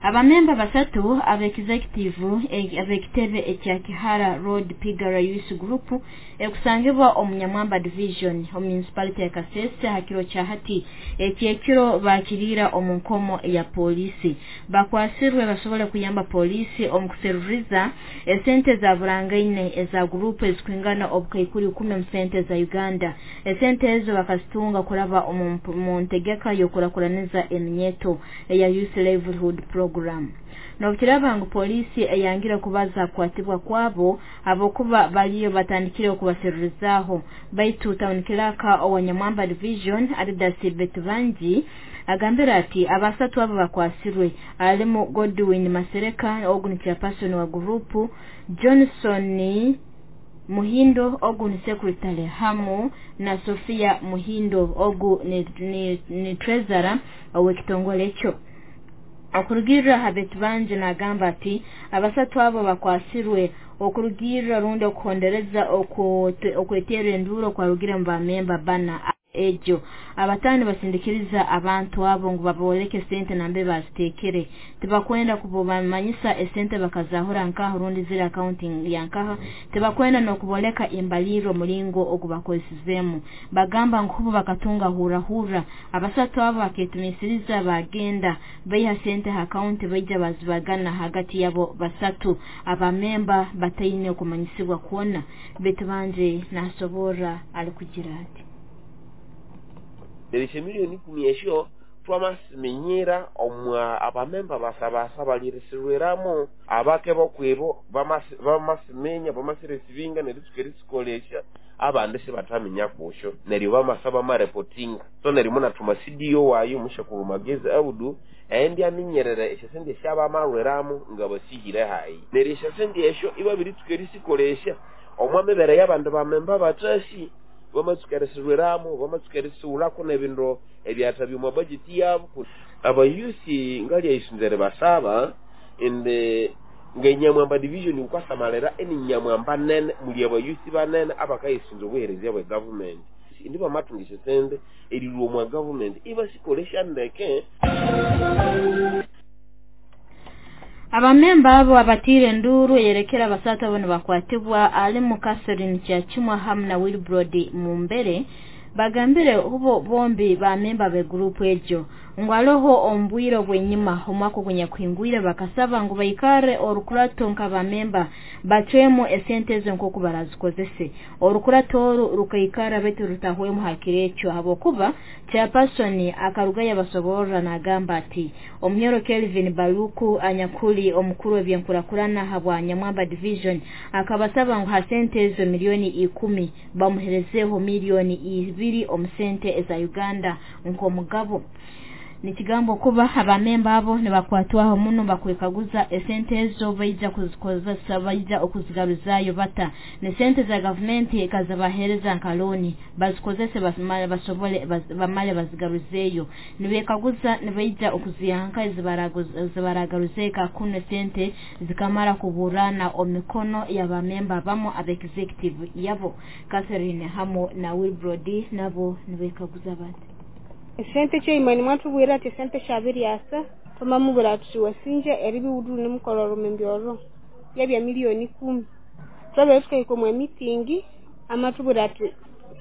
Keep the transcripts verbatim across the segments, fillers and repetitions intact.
Abamemba basatu ab'executive ab'ekitebe ekya Kihara Road Pigara Youth Group ekusangibwa omu Nyamwamba Division omu municipality ya Kasese ha kiro kya hati ekyekiro bakiriira omu nkomo ya polisi. Bakwasirwe basobole kuyamba polisi omu kuseruriza esente za burangaine eza gurupu ezikwingana obukaikuru ikumi mu sente za Uganda. Esente ezo bakazitunga kuraba omu ntegeka y'okurakuraniza eminyeto eya Youth Livelihood Program. Nobukiraba ngu polisi eyangira kubaza kukwatibwa kwabo abokuba baliyo batandikire okubaserurizaho, baitu town clerk owa Nyamwamba Division Adidas Betubanji agambira ati abasatu abo bakwasirwe alimu Godwin Masereka, ogu ni chairperson wa gurupu, Johnson Muhindo ogu ni secretary, hamu na Sofia Muhindo ogu ni, ni, ni treasurer ow'ekitongole ekyo. Okurugirra ha Betubanji nagamba ati abasatu abo bakwasirwe okurugirra rundi okuhondereza okwetera enduro kwarugire mu bamemba bana ejo abatani basindikiriza abantu abo ngu baboleke sente nambe bazitekere. Tibakwenda kubamanyisa esente bakazahura nkaho rundi ziri accounting yankaho, tibakwenda nokuboleka imbaliro mulingo ogubakozesezemu. Bagamba nkubu bakatunga hura hura abasatu abo baketumisiriza bagenda baiha sente ha account baija bazibagana hagati yabo basatu abamemba bataine okumanyisibwa kuona. Betubanje nasobora alikugira ati erishe miliyoni ikumi esyo twamasimenyera omwa abamemba basabasa balirisirweramu abake bokwebo bamasimenya bamasiresivinga nerisukerisikolesha abandi sibataminya kusho neryo bamasaba mareporting. So neryo munatuma C D O wayo mushakuru Magezi Audu endi aminyerera esyo sente syabamarweramu nga basihire hayi neryo esyo sente esyo ibabirisukerisikolesha omwa mibere y'abandu bamemba batasi bamatsukeresirweramu bamatsukerisiwulako n'ebindu ebyata by'omu budget yabo. Abayusi ngali ayisunzere basaba ende nga Nyamwamba Division ukwasamalera eni Nyamwamba nene muli abayusi banene abakayisunza obuhereza bwa government indi bamatungisha sente erirwa omwa government ibasikolesha ndeke. Abamemba abo abatire nduru yerekera abasatu abo nibakwatibwa alimu Catherine Kyachimwa hamu na Wilbrod Mumbere bagambire hubo bombi bamemba be group ejo ngwaloho ombwiro bwenyima omwako kunyakwingwire bakasaba ngu baikare orukurato nka bamemba batwemo esente ezo nkoku barazikozese. Orukurato oru rukaikara betu rutahwemu hakirecho habokuba chairperson akarugaya basoborra nagamba ati Omunyoro Kelvin Baluku anyakuli omukuru w'ebyenkurakurana habwa Nyamwamba Division akabasaba ngu hasente ezo milioni ikumi bamuherezeho milioni ibiri omusente eza Uganda nkomugabo. Nikigambo kuba abamemba abo nibakwatwaho muno bakwekaguza esente ezo baija kuzikozesa baija okuzigaruzayo bata ne sente za government ekazabahereza nka loan bazikozese basobole bamale bazigaruzeyo. Nibekaguza nibaija okuziyanka ezibaragaruze kuno sente zikamara kuburana omikono y'abamemba bamo abe executive yabo. Catherine hamo na Wilbrod nabo nibekaguza bati esente cyo imani mwatubwira ati sente shabiri asa tumamubura ati wasinje eribi udu nimukororo membyoro yabya milioni kumi twabe tukaiko mu meeting amatubura ati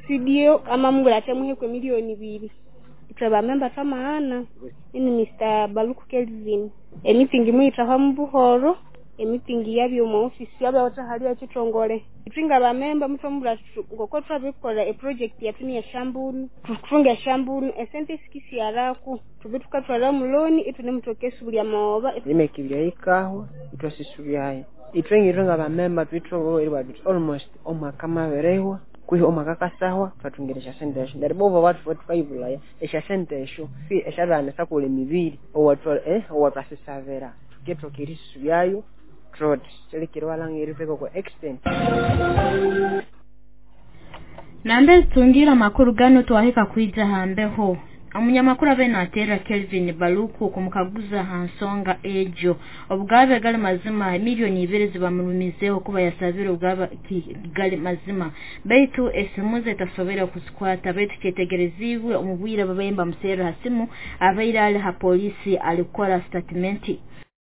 C D O amamubura ati muhekwe milioni bibiri itwe member tamaana ini Mister Baluku Kelvin e meeting muita mu buhoro e meeting yabyo mu office yabyo hali ya kitongole itwinga ba member mutomubura ngoko twabikora e project yatuni ya shambunu tufunga shambunu esente sikisi yaraku tubituka twala muloni itune mutokesi buli amaoba imekibya ikaho itwasisubyayo itwengirenga ba member twitwo eri almost omwaka maberehwa kwiho omwaka kasahwa twatungeresha sente esho ndaribo watu watu esha sente esho fi esharana sakule mibiri owatwa eh owatwasisavera tuketokirisuyayo trot kwa extent. Nambe tungira makuru gano twahika kuija hambeho Omunyamakuru abe natera Kelvin Baluku kumukaguza hansonga ejo obugabe gali mazima milioni ibiri zibamurumizeho kuba yasabira obugabe gali mazima baitu esimuze tasobera kuzikwata baitu kyetegerezibwe omubwire babayimba musera hasimu abaire ali ha polisi alikora statementi.